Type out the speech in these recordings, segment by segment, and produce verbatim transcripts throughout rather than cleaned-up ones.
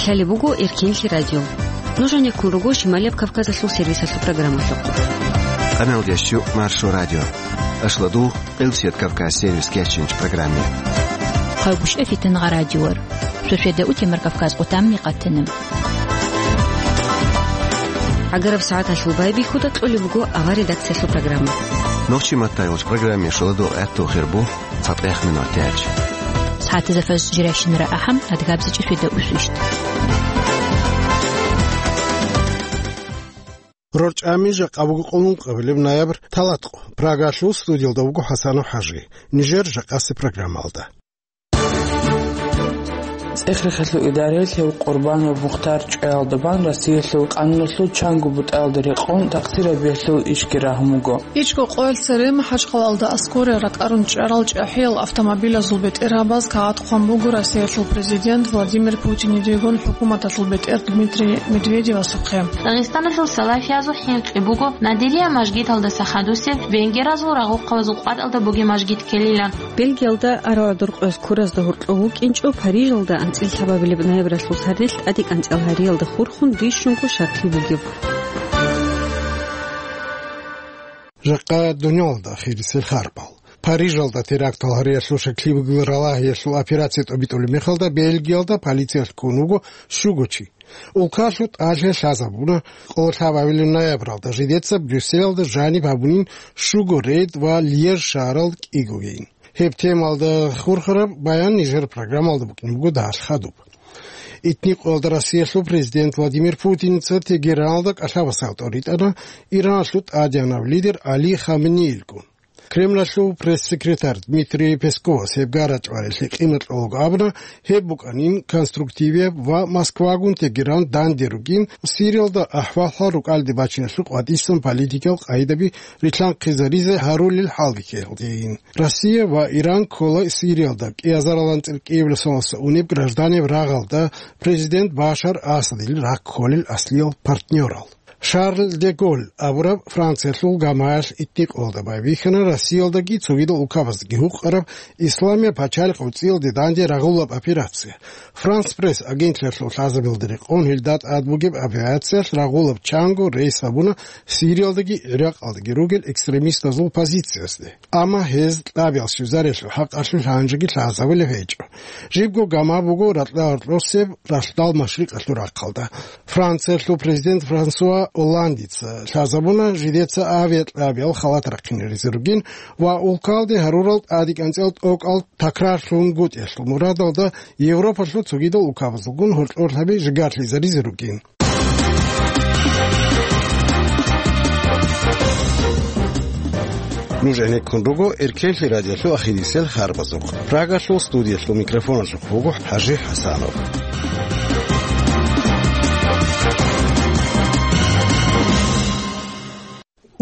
Гьале буго Эркенлъи радио. Нуж гьанеккун руго Шималияб Кавказалъул сервисалъул программалъухъ. Къаналдеш чу Маршо радио. Ашладу Къилсият Кавказ сервис кечинч программе. Хъайгъушев Фитангъа радиор. Шошеда утемар Кавказ къутамни къатана. Агараб сагӀаталъул байбихьуда кьолеб буго авар редакциялъул программа. Нохчи маттайгъуч программе шуладу гӀатту хирбу. ЦатӀех минутач. СагӀатазда фаз жирайщинара ахӀам, адгабзичӀеб шуйда усущт. РорчӀами жакъа буго къуллун къабилеб ноябрь талатӀкъо. Прагалъул студиялда вуго ХӀасанов ХӀажи. Нижер жакъасе программалда. ЦӀехрехалъул идараялъ гьев Къурбанов Мухтар чӀваялда бан Россиялъул къануналъул чанго бутӀаялда рекъон такъсирабиялъул ишги рагьун буго. ИчӀго къоялъ цере МахӀачхъалаялда Аскория ракӀарун чӀарал чӀахӀиял автомобилазул бетӀергьабаз кагъат хъван буго Россиялъул президент Владимир Путинидегун хӀукуматалъул бетӀер Дмитрий Медведевасухъе. Дагъистаналъул салафиязул хӀинкъи буго Надирия мажгиталдаса хадусеб венгеразул рагъухъабазул къватӀалда бугеб мажгит ккелилан. Бельгиялда арагӀдуркъоялъ куразда гьоркьов вукӀинчӀо Парижалда анцӀила лъабабилеб ноябралъул сардилъ тӀаде кӀанцӀал гьариялда хурхун бищунго щаклъи бугеб. Жакъа дунялалда ахирисел харпал. Парижалда терактал гьариялъул щаклъи бугел ралагьиялъул операция тӀобитӀулеб мехалда Бельгиялда полициялъ ккун вуго щуго чи. Улкалъул тӀалъи лъазабуна, къоло лъабабилеб ноябралда жидеца Брюсселалда жаниб гьабунин щуго рейд ва Льеж шагьаралда кӀигогейин. Гьеб темалда хурхараб баян нижер программалда букӀин буго дагьалъ хадуб. Итни къоялда Россиялъул президент Владимир Путиница Тегераналда кӀалъабасал тӀоритӀана Ираналъул тӀадегӀанав лидер Али Хаменеилгун. Кремлалъул пресс-секретарь Дмитрий Песковас гьеб гарачӀварелъе къимат кьолаго абуна, гьеб букӀанин конструктивияб ва Москвагун Тегеран данде ругин, Сириялда ахӀвал-хӀал рукӀалде бачиналъул къватӀисан политикал къагӀидаби рилъанхъизаризе гьарулел хӀалбихьиялдейин. Россия ва Иран ккола Сириялда кӀиазаралан цӀеркӀиябиласаласа унеб гражданеб рагъалда президент Башар Асадил ракколел аслиял партнерал. Шарль де Голль абураб Франциялъул гамаялъ итни къоялда байбихьана Россиялдаги цогидал улкабаздаги гьукъараб Исламияб пачалихъ гӀуцӀиялде данде рагъулаб операция. Франс Пресс агентлъиялъул лъазабилда рекъон гьелда тӀад бугеб операциялъ рагъулаб чанго рейс гьабуна Сириялдаги ГӀиракъалдаги ругел экстремистазул позициязде. Амма гьез кьабиял щвезариялъул хӀакъалъулъ гьанжеги лъазабулеб гьечӀо. Жибго гама буго ракьа-гьоркьосеб ралъдал машрикъалъул рахъалда. Франциялъул президент Франсуа Олландица лъазабуна жидеца авиакьабиял халат рахъинаризе ругин ва улкалде гьарурал тӀаде кӀанцӀал тӀокӀал такрарлъунгутӀиялъул мурадалда Европалъул цогидал улкабазулгун гьоркьорлъаби жигарлъизаризе ругин. Нуж гӀенеккун руго Эркенлъи радиолъул ахирисел харбазухъ. Прагалъул студиялъул микрофоналъухъ вуго ХӀажи ХӀасанов.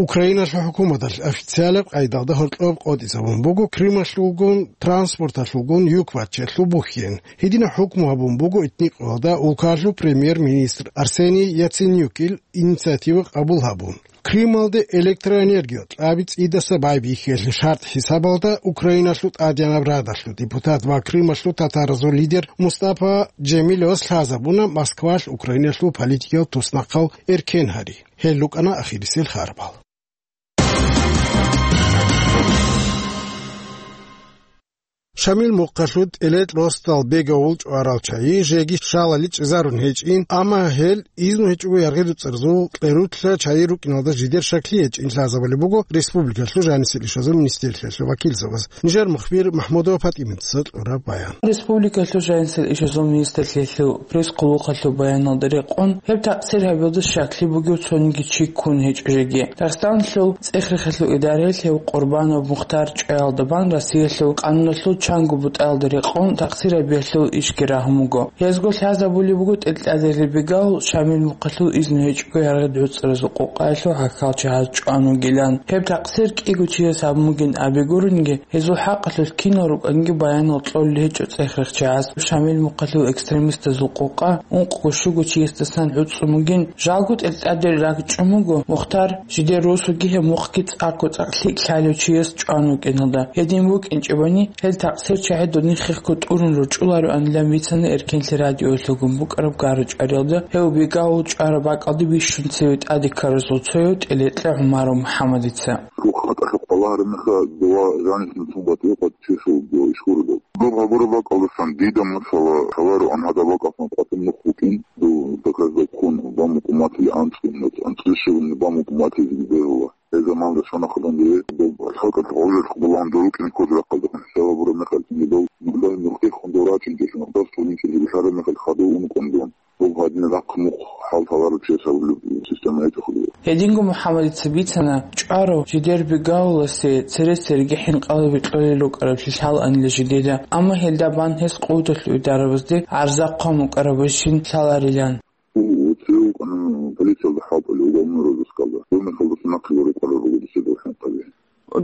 Украиналъул хӀукуматалъ официалаб къайдалда гьоркьоб къотӀизабун буго Крымалъулгун транспорталъулгун юк баччалъул бухьен. Гьединаб хӀукму гьабун буго итникъоялда улкалъул премьер-министр Арсений Яценюкил инициатива къабул гьабун. Крымалде электроэнергия кьаби цӀидаса байбихьиялъе шартӀ хӀисабалда Украиналъул ТӀадегӀанаб Радалъул депутат ва Крымалъул татаразул лидер Мустапа Джемилевас лъазабуна Москвалъ Украиналъул политикиял туснахъал эркен гьари. Гьел рукӀана ахирисел харбал. Шамил мухъалъул тӀелетӀ росдал бегавул чӀварал чайи жеги шалали чӀезарун гьечӀин, амма гьел изну гьечӀого яргъи-дуцӀарзул кьерулъа чайи рукӀиналда жидер шаклъи гьечӀин лъазабулеб буго республикалъул жанисел ишазул министрлъиялъул вакилзабаз. Нижер мухбир Махмудова ПатӀиматица кьураб баян. Республикалъул жанисел ишазул министрлъиялъул пресс-къуллукъалъул баяналда рекъон, гьеб такъсир гьабиялда щаклъи бугев цониги чи ккун гьечӀо жеги. Дагъистаналъул цӀех-рехалъул идараялъ гьев Къурбанов Мухтар чӀваялда бан Россиялъул къануналъул чанго бутӀаялда рекъон такъсир гьабиялъул ишги рагьун буго. Гьезго лъазабулеб буго тӀелтӀазе ребегал Шамил мухъалъул изну гьечӀого яргъи-дуцӀаразул къокъаялъул гӀахьалчагьаз чӀван вугилан. Гьеб такъсир кӀиго чияс гьабун бугин абигурунги, гьезул хӀакъалъулъ кинал рукӀанги баянал кьолел гьечӀо цӀех-рехчагӀаз. Шамил мухъалъул экстремистазул къокъа ункъго-щуго чиясдасан гӀуцӀцӀун бугин, жалго тӀелтӀаде ракӀчӀун буго Мухтар, жидер росуги гьеб мухъги цӀакъго-цӀакъ лъикӀ лъалев чияс чӀван вукӀиналда. Гьедин букӀинчӀебани, гьел такъсир Цер чагӀи додин хехго тӀурун ручӀулароанилан бицана Эркенлъи радиоялъулгун букӀараб гара-чӀвариялда, гьев Бегавул чӀвараб бакӀалде бищун цеве тӀаде ккарасул цояв ТӀелекьа ГӀумаров МухӀаммадица. Рухъ хатӀалъухъ балагьараб мехалъ, дова жанисна цун батӀи-къватӀи чесул дова иш гуродал. Доб гьабураб бакӀалдасан дида, масала, лъалароан гьадаб бакӀалъан къватӀун нух букӀин, дов доказдаб хун бан букӀун батили анцӀго, анцӀго щиб бан букӀун батилги бегьула. Гьеб заманалда щвана хъалан дие, доб лъалкӀат гъожалъ гъулан дорукӀин ккоз рахъалдехун хӀисаб гьабураб мехалъ, доб нухда нухде хун дов рачӀинчӀелъун, гьаб цӀунинчӀел жиб лъараб мехалъ хадув ункъун дун. Доб гьадинаб рахъ мухъ хӀал лъаларав чиясаб система гьечӀо хъулула. Гьединго МухӀаммадица бицана, чӀварав жидер Бегавуласе цере-цереги хӀинкъалаби кьолел рукӀараблъи лъалаанила жидеда, амма гьелда бан гьес къуваталъул идарабазде гӀарза хъван букӀарабищин лъаларилан. Цеве вукӀана полициялда хӀалтӀулев уголовный розыскалда. Доб мехалдаса нахъе рукӀарал руго дица дов хӀинкъаби.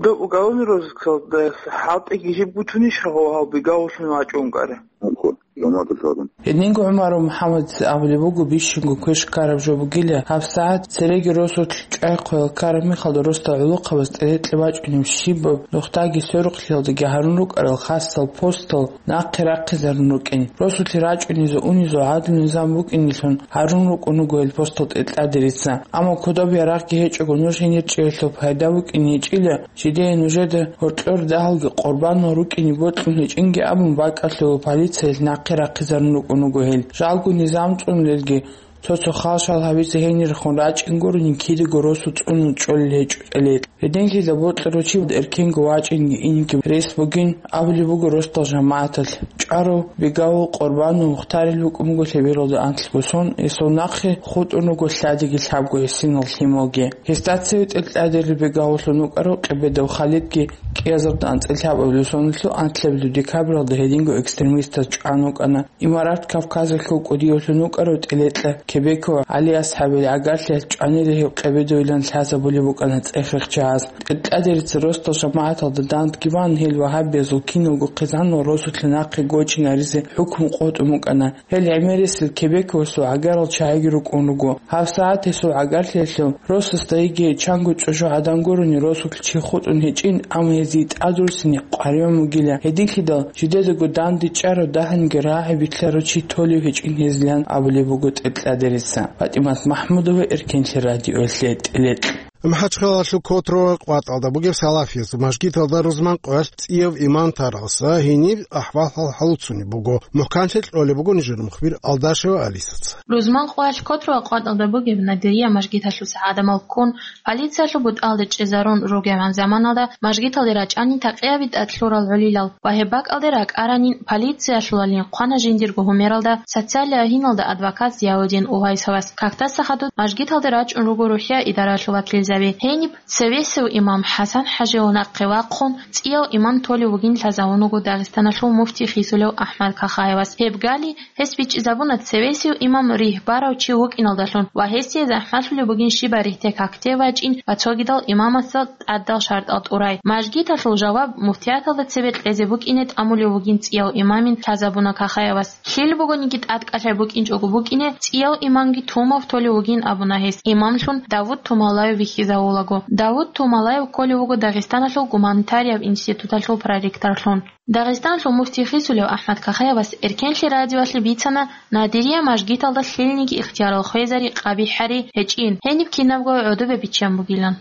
Доб уголовный розыскалда хӀалтӀиги жиб гутунищ гьав Бегавуллъун вачӀун ккараб? Гьанкъо, жамагӀаталъ гьарун. Гьединго ГӀумаров МухӀаммадица абулеб буго, бищунго квеш ккараб жо бугила, гьабсагӀат цереги росулъ чӀвай хъвел ккараб мехалда росдал гӀолохъабаз ТӀелекьа вачӀунеб щибаб нухдаги сверухълъиялдаги гьарун рукӀарал хасал постал нахъе рахъизарун рукӀин. Росулъе рачӀунезул-унезул гӀадлу низам букӀинелъун гьарун рукӀун руго гьел постал ТӀелекьадерица. Амма кодоб ярагъги гьечӀого нуж гьенир чӀеялъул пайда букӀине гьечӀила, жидее нужеда гьоркьор дагьалги къурбанал рукӀине бокьун гьечӀинги абун бакӀалъула полициялъ нахъе рахъизарун рукӀун руго гьел. Жалго низам цӀунулелги, цо-цо хал-шал гьабизе гьенирехун рачӀин гурони кидаго росу цӀунун чӀолел гьечӀо ТӀелекьа. Гьединлъидал бокьарав чи эркенго вачӀинги инги рес бугин абулеб буго росдал жамагӀаталъ. ЧӀварав Бегавул къурбанав мухтарил вукӀун буго лъебералда анлъго сон, гьесул нахъе хутӀун руго лъадиги лъабго гӀисинал лъималги. Гьесда цеве ТӀелекьадерил Бегавуллъун вукӀарав Къебедов Халидги кӀиазарда анцӀила лъабабилеб соналъул анлъабилеб декабралда гьединго экстремистаз чӀван вукӀана. Имарат Кавказалъул кӀудиявлъун вукӀарав ТӀелекьа Кебеков ГӀали-асхӀабил гӀагарлъиялъ чӀванила гьев Къебедовилан лъазабулеб букӀана цӀех-рехчагӀаз. ТӀелекьадерица росдал жамагӀаталда дандги бан, гьел вагьабиязул киналго хъизанал росулъе нахъе гочинаризе хӀукму къотӀун букӀана. Гьел гӀемерисел Кебековасул гӀагарал чагӀиги рукӀун руго. ГьабсагӀат гьесул гӀагарлъиялъул росасда йигей чанго чӀужугӀадан гурони росулъ чи хутӀун гьечӀин, амма гьезие тӀадруссине къваригӀун бугила. Гьединлъидал жидедаго дандечӀарав дагьанги рагӀи битӀарав чи толев гьечӀин гьезилан абулеб буго ТӀелекьадерица. ПатӀимат МахӀмудова, Эркенлъи радиоялъе, ТӀелекьа. МахӀачхъалалъул Котрово къватӀалда бугеб Салафиязул мажгиталда рузман къоялъ цӀияв имам таралса гьениб ахӀвал-хӀал хӀалуцунеб буго. МухӀканлъи кьолеб буго нижер мухбир Алдашева Алисаца. Рузман къоялъ Котрово къватӀалда бугеб Надирия мажгиталъуса гӀадамал ккун, полициялъул бутӀалде чӀезарун ругебгӀан заманалда мажгиталде рачӀани такьияби тӀад лъурал гӀолилал ва гьеб бакӀалде ракӀаранин полициялъулалин хъвана жиндирго гьумералда социалияб гьиналда адвокат Зияудин Увайсовас. Кактаса хадуб мажгиталде рачӀун руго рухӀия идараялъул вакилзаби. Гьениб цевесев имам ХӀасан-хӀажиял нахъе вахъун, цӀияв имам толев вугин лъазавун вуго Дагъистаналъул муфти хисулев АхӀмад Кахаевас. Гьеб гали, гьес бичӀчӀизабуна цевесев имам ригь барав чи вукӀиналдалъун ва гьесие захӀмалъулеб бугин щиб барихӀде какде вачӀин ва цогидал имамасда тӀадал шартӀал тӀурай. Мажгиталъул жаваб муфтияталда цебе кьезе букӀине тӀамулев вугин цӀияв имамин лъазабуна Кахаевас. Лъил бугониги тӀадкӀалъай букӀинчӀого букӀине, цӀияв имамги Тумав толев вугин абуна гьес, имамлъун Давуд Тумалаев вихьизавулаго. Давуд Тумалаев кколев вуго Дагъистаналъул гуманитарияб институталъул проректорлъун. Дагъистаналъул муфти хисулев АхӀмад Кахаевас Эркенлъи радиоялъе бицана Надирия мажгиталда лъилниги ихтиярал хвезари къабихӀари гьечӀин, гьениб кинабго гӀодобе биччан бугилан.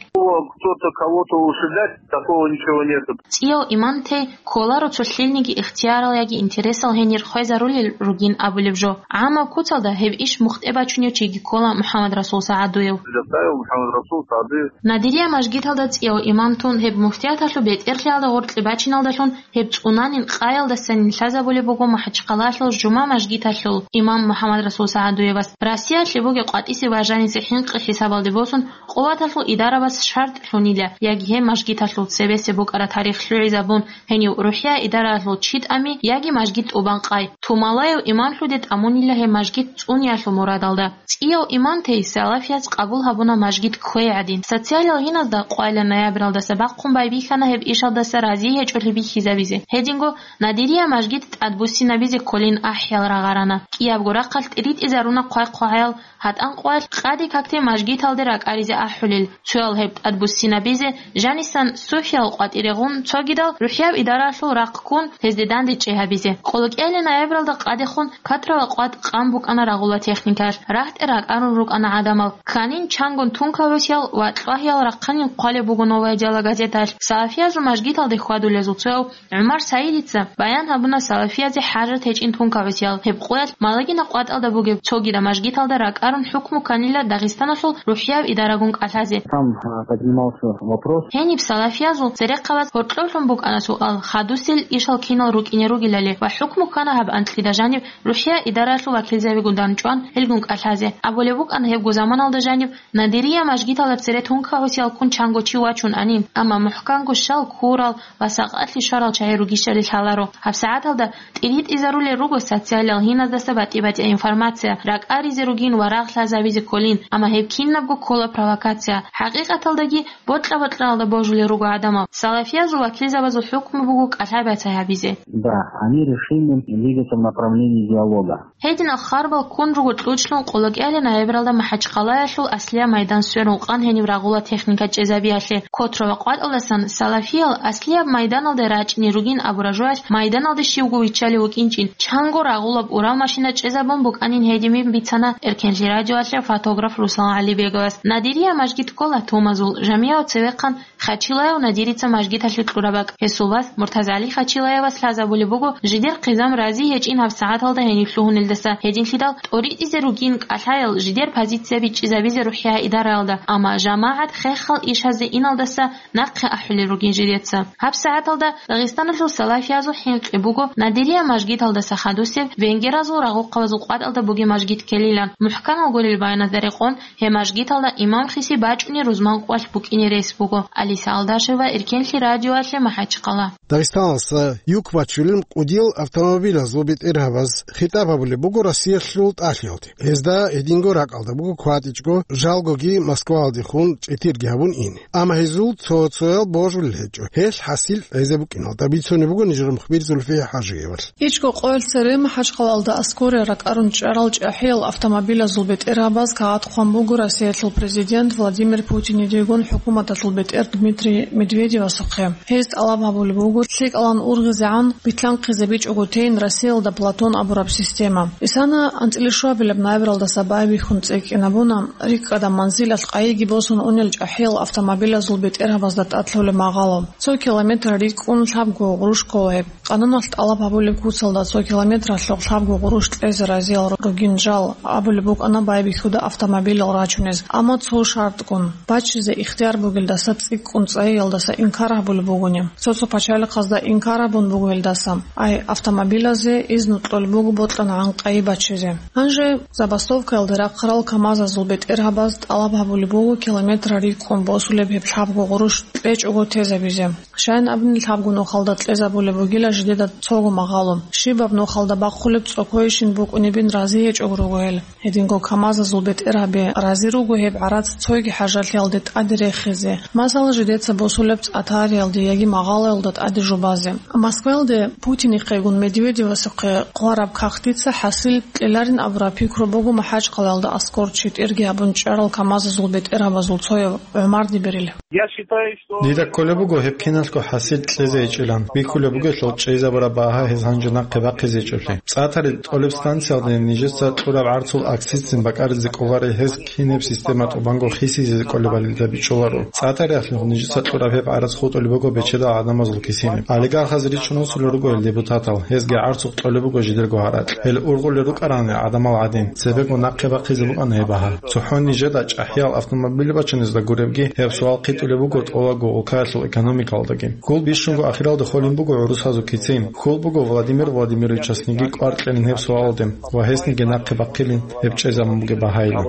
Кто-то кого-то ушибать, такого ничего нету. ЦӀияв имам тей кколаро цо лъилниги ихтиярал яги интересал гьенир хвезарулел ругин абулеб жо. ГӀамаб куцалда гьеб иш мухтӀе бачунев чиги ккола МухӀаммадрасул СагӀадуев. Заставил МухӀаммадрасул СагӀадуев. Надирия мажгиталда цӀияв имам тун гьеб муфтияталъул бетӀерлъиялда гъоркье бачиналдалъун гьеб цӀунанин къаялдасанин лъазабулеб буго МахӀачхъалалъул жума мажгиталъул имам МухӀаммадрасул СагӀадуевас. Россиялъе бугеб къватӀисе ва жанисе хӀинкъи хӀисабалде босун, къуваталъул идарабаз шартӀ лъунила, яги гьеб мажгиталъул цебесеб букӀараб тарих лъугӀизабун, гьенив рухӀия идараялъул чи тӀами, яги мажгит тӀубан къай. Тумалаев имамлъуде тӀамунила гьеб мажгит цӀуниялъул мурадалда. ЦӀияв имам тей салафияз къабул гьабуна мажгит кквей гӀадин. Социалиял гьиназда къвайилан ноябралдаса бахъун байбихьана гьеб ишалдаса разие гьечӀолъи бихьизабизе. Гьединго Надирия мажгит тӀадбуссинабизе кколин ахӀиял рагъарана. КӀиябго рахъалъ тӀиритӀизаруна хъвай-хъвагӀаял гьатӀан къоялъ къаде какде мажгиталде ракӀаризе ахӀулел. Цоял гьеб тӀадбуссинабизе жанисан сухьиял къватӀире гъун, цогидал рухӀияв идараялъул рахъ ккун, гьезде дандечӀей гьабизе. Къолокьалин ноябралда къадехун катрава къватӀ къан букӀана рагъула техникаялъ, рагьтӀе ракӀарун рукӀана гӀадамал. Кканин чангун тункабасиял ва кьвагьиял рахъанин хъвалеб буго «Новая дела» газеталъ. Салафиязул мажгиталде хьвадулезул цояв ГӀумар Саидица баян гьабуна салафиязе хӀажат гьечӀин тункабасиял. Гьеб къоялъ Малагина къватӀалда бугеб цогидаб мажгиталда ракӀарун хӀукму кканила Дагъистаналъул рухӀияв идарагун кӀалъазе. Там, а, поднимался вопрос. Гьениб салафиязул церехъабаз гьоркьоблъун букӀана суал, хадусел ишал кинал рукӀине ругелали ва хӀукму ккана гьаб анкьида жаниб рухӀия идараялъул вакилзабигун данчӀван гьелгун кӀалъазе. Абулеб букӀана гьебго заманалда жаниб Надирия мажгиталда цере тункабасиял ккун чанго чи вачун ани, амма мухӀканго щал ккурал ва сакъалъи щварал чагӀи ругищали лъаларо. ГьабсагӀаталда тӀиритӀизарулел руго социалиял гьиназдаса батӀи-батӀияб информация, ракӀаризе ругин ва рагъ лъазабизе кколин, амма гьеб кинабго ккола провокация. ХӀакъикъаталдаги бокьа-бокьаралда божулел руго гӀадамал. Салафиязул вакилзабазул хӀукму буго кӀалъай-бацай гьабизе. Да, они решили двигаться в направлении диалога. Гьединал харбал ккун руго кьучӀлъун къолокьалин ноябралда МахӀачхъалаялъул аслияб майдан сверун къан гьениб рагъула техника чӀезабиялъе. Котро ва къватӀалдасан салафиял аслияб майданалде рачӀине ругин абураб жоялъ майданалде щивго виччалев вукӀинчӀин, чанго рагъулаб урал машина чӀезабун букӀанин гьединин бицана Эркенлъи радиоялъе фотограф Руслан ГӀалибеговас. Надирия мажгит ккола Тумазул, Жамияв цевехъан Хачилаев Надирица мажгиталъе кьураб бакӀ. Гьесул вас МуртазгӀали Хачилаевас лъазабулеб буго жидер хъизан рази гьечӀин гьабсагӀаталда гьенив лъугьунелдаса, гьединлъидал тӀоритӀизе ругин кӀалъаял жидер позицияби чӀезабизе рухӀия идараялда, амма жамагӀат хехал ишазе иналдаса нахъе ахӀулел ругин жидеца. ГьабсагӀаталда Дагъистаналъул салафиязул хӀинкъи буго Надирия мажгиталдаса хадусеб венгеразул рагъухъабазул къватӀалда бугеб мажгит ккелилан. МухӀканал гурел баяназда рекъон, гьеб мажгиталда имам хиси бачӀунеб рузман къоялъ букӀине рес буго. Алиса Алдашева, Эркенлъи радиоялъе, МахӀачхъала. Дагъистаналдаса юк бачулел кӀудиял автомобилазул бетӀергьабаз хитӀаб гьабулеб буго Россиялъул тӀалъиялде. Гьезда гьединго ракӀалда буго кватӀичӀого, жалгоги Москваялдехун чӀетирги гьабун ине. Амма гьезул цо-цоял божулел гьечӀо. Гьелъ хӀасил кьезе букӀиналда бицунеб буго нижер мухбир Зульфия ХӀажиевалъ. ИчӀго къоялъ цере МахӀачхъалаялда аскоре ракӀарун чӀарал чӀахӀиял автомобилазул бетӀергьабаз кагъат хъван буго Россиялъул президент Владимир Путинидегун хӀукуматалъул бетӀер Дмитрий Медведевасухъе. Гьез тӀалаб гьабулеб буго лъикӀалан ургъизегӀан битлъанхъизе бичӀого тейин Россиялда Платон абураб система. Исана анцӀила щуабилеб ноябралдаса байбихьун цӀикӀкӀинабуна рикӀкӀадаб манзилалъ къайиги босун унел чӀахӀиял автомобилазул бетӀергьабазда тӀад лъолеб магъало. Цо километр рикӀкӀун лъабго гъурущ ккола гьеб. Къануналъ тӀалаб гьабулеб куцалда цо километралъухъ лъабго гъурущ кьезе разиял ругин жал абулеб букӀана байбихьуда автомобилал рачунез, амма цо шартгун: бачизе ихтияр бугелдаса цӀикӀкӀун цӀайиялдаса инкар гьабулеб бугони. Цо-цо пачалихъазда инкар гьабун бугелдаса, ай, автомобилазе изну кьолеб буго бокьанагӀан къайи бачизе. Гьанже забастовкаялде рахъарал КамАЗазул бетӀергьабаз тӀалаб гьабулеб буго километр рикӀкӀун босулеб гьеб лъабго гъурущ кьечӀого тезабизе. Щайин абуни, лъабго нухалда кьезабулеб бугила жидеда цого магъало. Щибаб нухалда бахъулеб цӀокойищин букӀунебин рази гьечӀого руго гьел. Гьединго КамАЗазул бетӀергьаби рази руго гьеб гӀарац цоги хӀажалъиялде тӀаде рехизе, масала, жидеца босулеб цӀатариялде яги магъалоялда тӀаде жубазе. Москваялде Путинихъегун Медведевасухъе хъвараб кагътица хӀасил кьеларин абураб пикру буго МахӀачхъалаялда аскор четӀерги гьабун чӀарал КамАЗазул бетӀергьабазул цояв ГӀумар Дибирил. Я считаю, что... Дида кколеб буго гьеб киналго хӀасил кьезе гьечӀилан. Бихьулеб бугелъул чӀезабураб багьа гьез гьанже нахъе бахъизе гьечӀеблъи. ЦӀатари тӀолеб станциялде нижеца кьураб гӀарцул акцизцин бакӀаризе кӀоларе гьез кинаб система тӀубанго хисизе кӀолебали дида бичӀчӀуларо. ЦӀатариялъухъ нижеца кьураб гьеб гӀарац хутӀулеб буго бечедал гӀадамазул кисине. Олигархаз ричун босулел руго гьел депутатал, гьезги гӀарцухъ кьолеб буго жидерго гьаракь. Гьел ургъулел рукӀарани гӀадамал гӀадин, цебего нахъе бахъизе букӀана гьеб багьа. ЦохӀо нижеда чӀахӀиял автомобиль бачунезда гуребги, гьеб суал хъитӀулеб буго тӀолабго улкаялъул экономикалдаги. Гьул бищунго ахиралда холин буго гӀурусазул кицин. Хьул буго Владимир Владимировичасниги кӀвар кьелин гьеб суалалде ва гьесниги нахъе бахъилин гьеб чӀезабун бугеб багьайилан.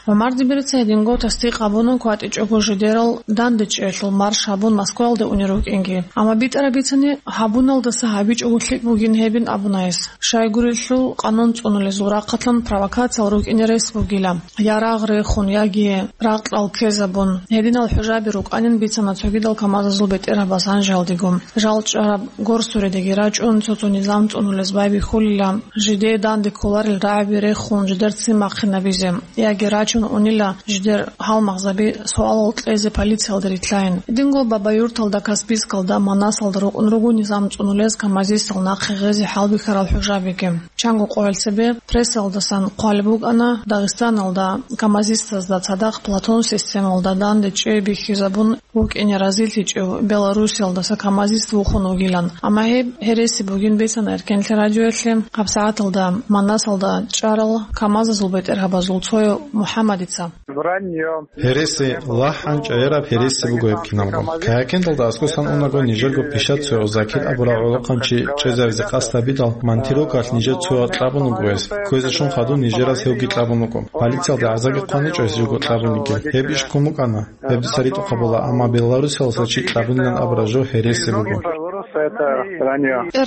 ГӀумар Дибирица гьединго тасдикъ гьабуна кватӀичӀого жидерал дандечӀеялъул марш гьабун Москваялде унел рукӀинги. Амма битӀараб бицани, гьабуналдаса гьабичӀого лъикӀ бугин гьебин абуна гьес. Щайгурелъул, къанун цӀунулезул рахъалъан провокациял рукӀине рес бугила. Я рагъ рехун, яги ракьал ккезабун. Гьединал хӀужаби рукӀанин бицана цогидал КамАЗазул бетӀергьабаз гьанжеялдего. Жал чӀараб горсуредаги рачӀун, цо-цо низам цӀунулез байбихьулила, жидее данде кколарел рагӀаби рехун, жидер ццин бахъинабизе, яги рачун унила жидер гьалмагъзаби суалал кьезе полициялда рилълъайин. Гьединго Бабаюрталда, Каспийскалда, Манасалда рукӀун руго низам цӀунулез КамАЗистал нахъе гъезе хӀалбихьарал хӀужабиги. Чанго къоялъ цебе прессалдасан хъвалеб букӀана, Дагъистаналда КамАЗистазда цадахъ Платон системалда данде чӀей бихьизабун вукӀине разилъичӀев Белоруссиялдаса КамАЗист вухун вугилан. Амма гьеб гьереси бугин бицана Эркенлъи радиоялъе гьабсагӀаталда Манасалда чӀарал КамАЗазул бетӀергьабазул цояв МухӀаммадица. Вранье. Гьереси, лахӀан чӀегӀераб гьереси буго гьеб киналго. Каякендалда аскӀосан унаго нижерго пишат цояв Закир абурав гӀолохъанчи чӀезаризе къасд гьабидал, Монтирокалъ нижер цояв кьабун вуго гьес. Кквезе щун хадуб нижераз гьевги кьабун вуго. Полициялда гӀазаги хъваничӀо гьес живго кьабун йигел. Гьеб иш ккун букӀана. Гьеб дица ритӀухъабула, амма Беларусиялдаса чи кьабунилан абураб жо гьереси буго.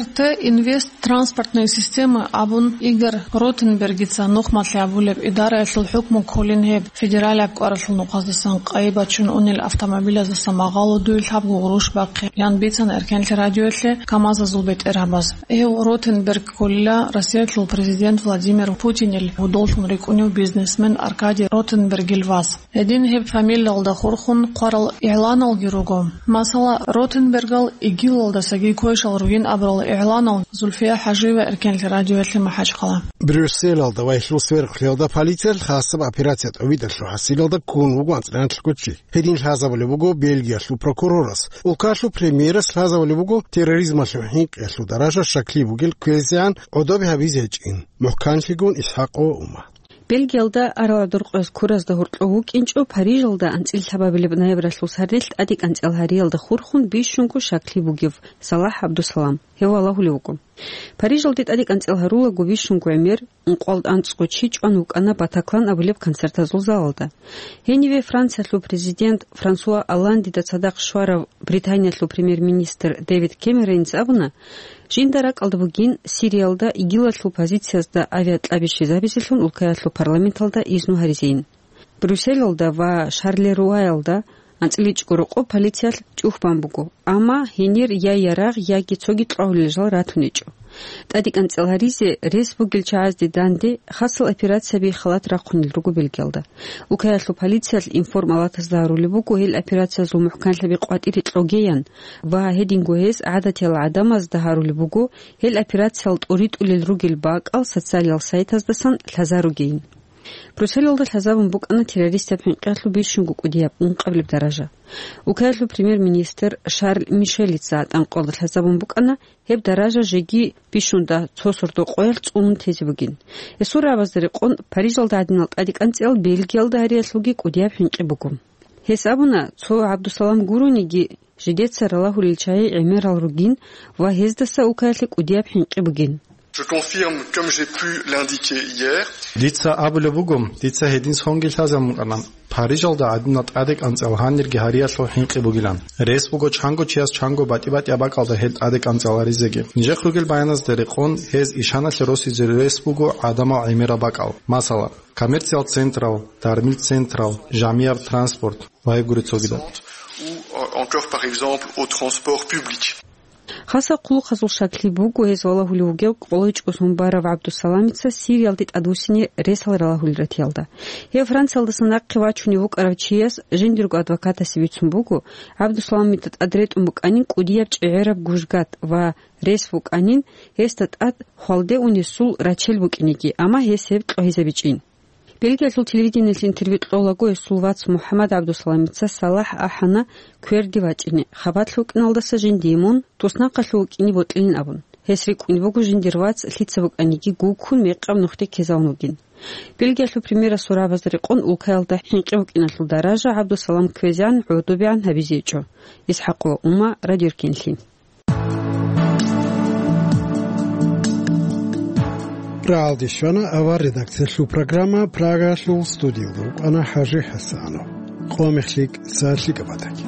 РТ Инвест транспортные системы абун Игорь Ротенбергица нухмалъи абулеб идараялъул хӀукму кколин гьеб федералияб кӀваралъул нухъаздасан къайи бачун унел автомобилаздаса магъало дуе лъабго гъурущ бахъе, ян бицана Эркенлъи радиоялъе КамАЗазул бетӀергьабаз. Гьев Ротенберг кколила Россиялъул президент Владимир Путинил гьудоллъун рикӀкӀунев бизнесмен Аркадий Ротенбергил вас. Гьедин гьеб фамилиялда хурхун хъварал игӀланалги руго. Масала, Ротенбергал ИГИЛалдасаги квешал ругин абурал игӀланал Зульфия ХӀажиева, Эркенлъи радиоялъе МахӀачхъала. Брюсселалда ва гьелъул сверухълъиялда полициялъ хасаб операция тӀобитӀалъул хӀасилалда ккун вуго анцӀила анлъго чи. Гьедин лъазабулеб буго Бельгиялъул прокурорас. Улкалъул премьерас лъазабулеб буго терроризмалъул хӀинкъиялъул даража щаклъи бугел кквезегӀан гӀодобе гьабизе гьечӀин, мухӀканлъигун ИсхӀакъ ва Ума. Бельгиялда арал гӀодор къоялъ ккуразда гьоркьов вукӀинчӀо Парижалда анцӀила лъабабилеб ноябралъул сардилъ тӀадекӀанцӀила гьариялда хурхун бищунго щаклъи бугев Салахь ГӀабдусалам. Гьев валагьулев вуго. Парижалде тӀадекӀанцӀила гьарулаго бищунго гӀемер, ункъоялда анцӀго чи чӀван вукӀана Батаклан абулеб концертазул залалда. Гьениве Франциялъул президент Франсуа Олландида цадахъ щварав Британиялъул премьер-министр Дэвид Кэмероница абуна, жинда ракӀалда бугин Сириялда ИГИЛалъул позициязда авиакьаби щвезабизелъун улкаялъул парламенталда изну гьаризейин. Брюсселалда ва Шарлеруаялда анцӀила ичӀго рокъоб полициялъ чӀухь бан буго, амма гьенир я ярагъ, яги цоги кьвагьулел жал ратун гьечӀо. ТӀадекӀанцӀила гьаризе рес бугел чагӀазде данде хасал операцияби халат рахъунел руго Бельгиялда. Улкаялъул полициялъ информалатазда гьарулеб буго гьел операциязул мухӀканлъаби къватӀире кьогеян ва гьединго гьез гӀадатиял гӀадамазда гьарулеб буго гьел операциял тӀуритӀулел ругел бакӀал социалиял сайтаздасан лъазаругейин. Брюсселалда лъазабун букӀана террористаб хӀинкъиялъул бищунго кӀудияб, ункъабилеб даража. Улкаялъул премьер-министр Шарль Мишелица гӀатӀанкъоялда лъазабун букӀана, гьеб даража жеги бищунда цо сордо къоялъ цӀунун тезе бугин. Гьесул рагӀабазда рекъон, Парижалда гӀадинал тӀадекӀанцӀиял Бельгиялда гьариялъулги кӀудияб хӀинкъи буго. Гьес абуна, цо ГӀабдусалам гурониги, жидеца ралагьулел чагӀи гӀемерал ругин ва гьездаса улкаялъе кӀудияб хӀинкъи бугин. Je confirme, comme j'ai pu l'indiquer hier. Дица абулеб буго, дица гьедин сонги лъазабун букӀана, Парижалда гӀадинал тӀадекӀанцӀиял гьанирги гьариялъул хӀинкъи бугилан. Рес буго чанго чияс чанго батӀи-батӀияб бакӀалда гьел тӀадекӀанцӀиял гьаризеги. Нижехъ ругел баяназда рекъон, гьез ишаналъе росизе рес буго гӀадамал гӀемерал бакӀал. Масала, коммерциал централ, дармил централ, жамияб транспорт ва гьеб гури цогидал. Ou, euh, encore, par exemple, au transport public. Хасал хъулухъазул щаклъи буго гьез валагьулев вугев кӀолойчӀолъун барав ГӀабдусаламица Сириялде тӀадвуссине ресал ралагьулел ратиялда. Гьев Франциялдаса нахъе вачунев вукӀарав чияс жиндирго адвокатасе бицун буго, ГӀабдусаламида тӀад ретӀун букӀанин кӀудияб чӀегӀераб гужгат ва рес букӀанин, гьесда тӀад хвалде унесул рачел букӀинеги, амма гьес гьеб кьогьизабичӀин. Бельгиялъул телевидениялъе интервью кьолаго гьесул вац МухӀаммад ГӀабдусаламица Салахь ахӀана кверде вачӀине, хабалъ вукӀиналдаса жиндие мун туснахъалъув вукӀине бокьилин абун. Гьес рикӀкӀунеб буго жиндир вац лъица букӀаниги гуккун мекъаб нухде ккезавун вугин. Бельгиялъул премьерасул рагӀабазда рекъон улкаялда хӀинкъи букӀиналъул даража ГӀабдусалам кквезегӀан гӀодобегӀан гьабизе гьечӀо. ИсхӀакъ ва Ума, Радио Эркенлъи. РагӀалде щвана авар редакциялъул программа, Прагалъул студиялда вукӀана ХӀажи ХӀасанов. Къо-мех лъикӀ, сагӀат лъикӀаб батаги.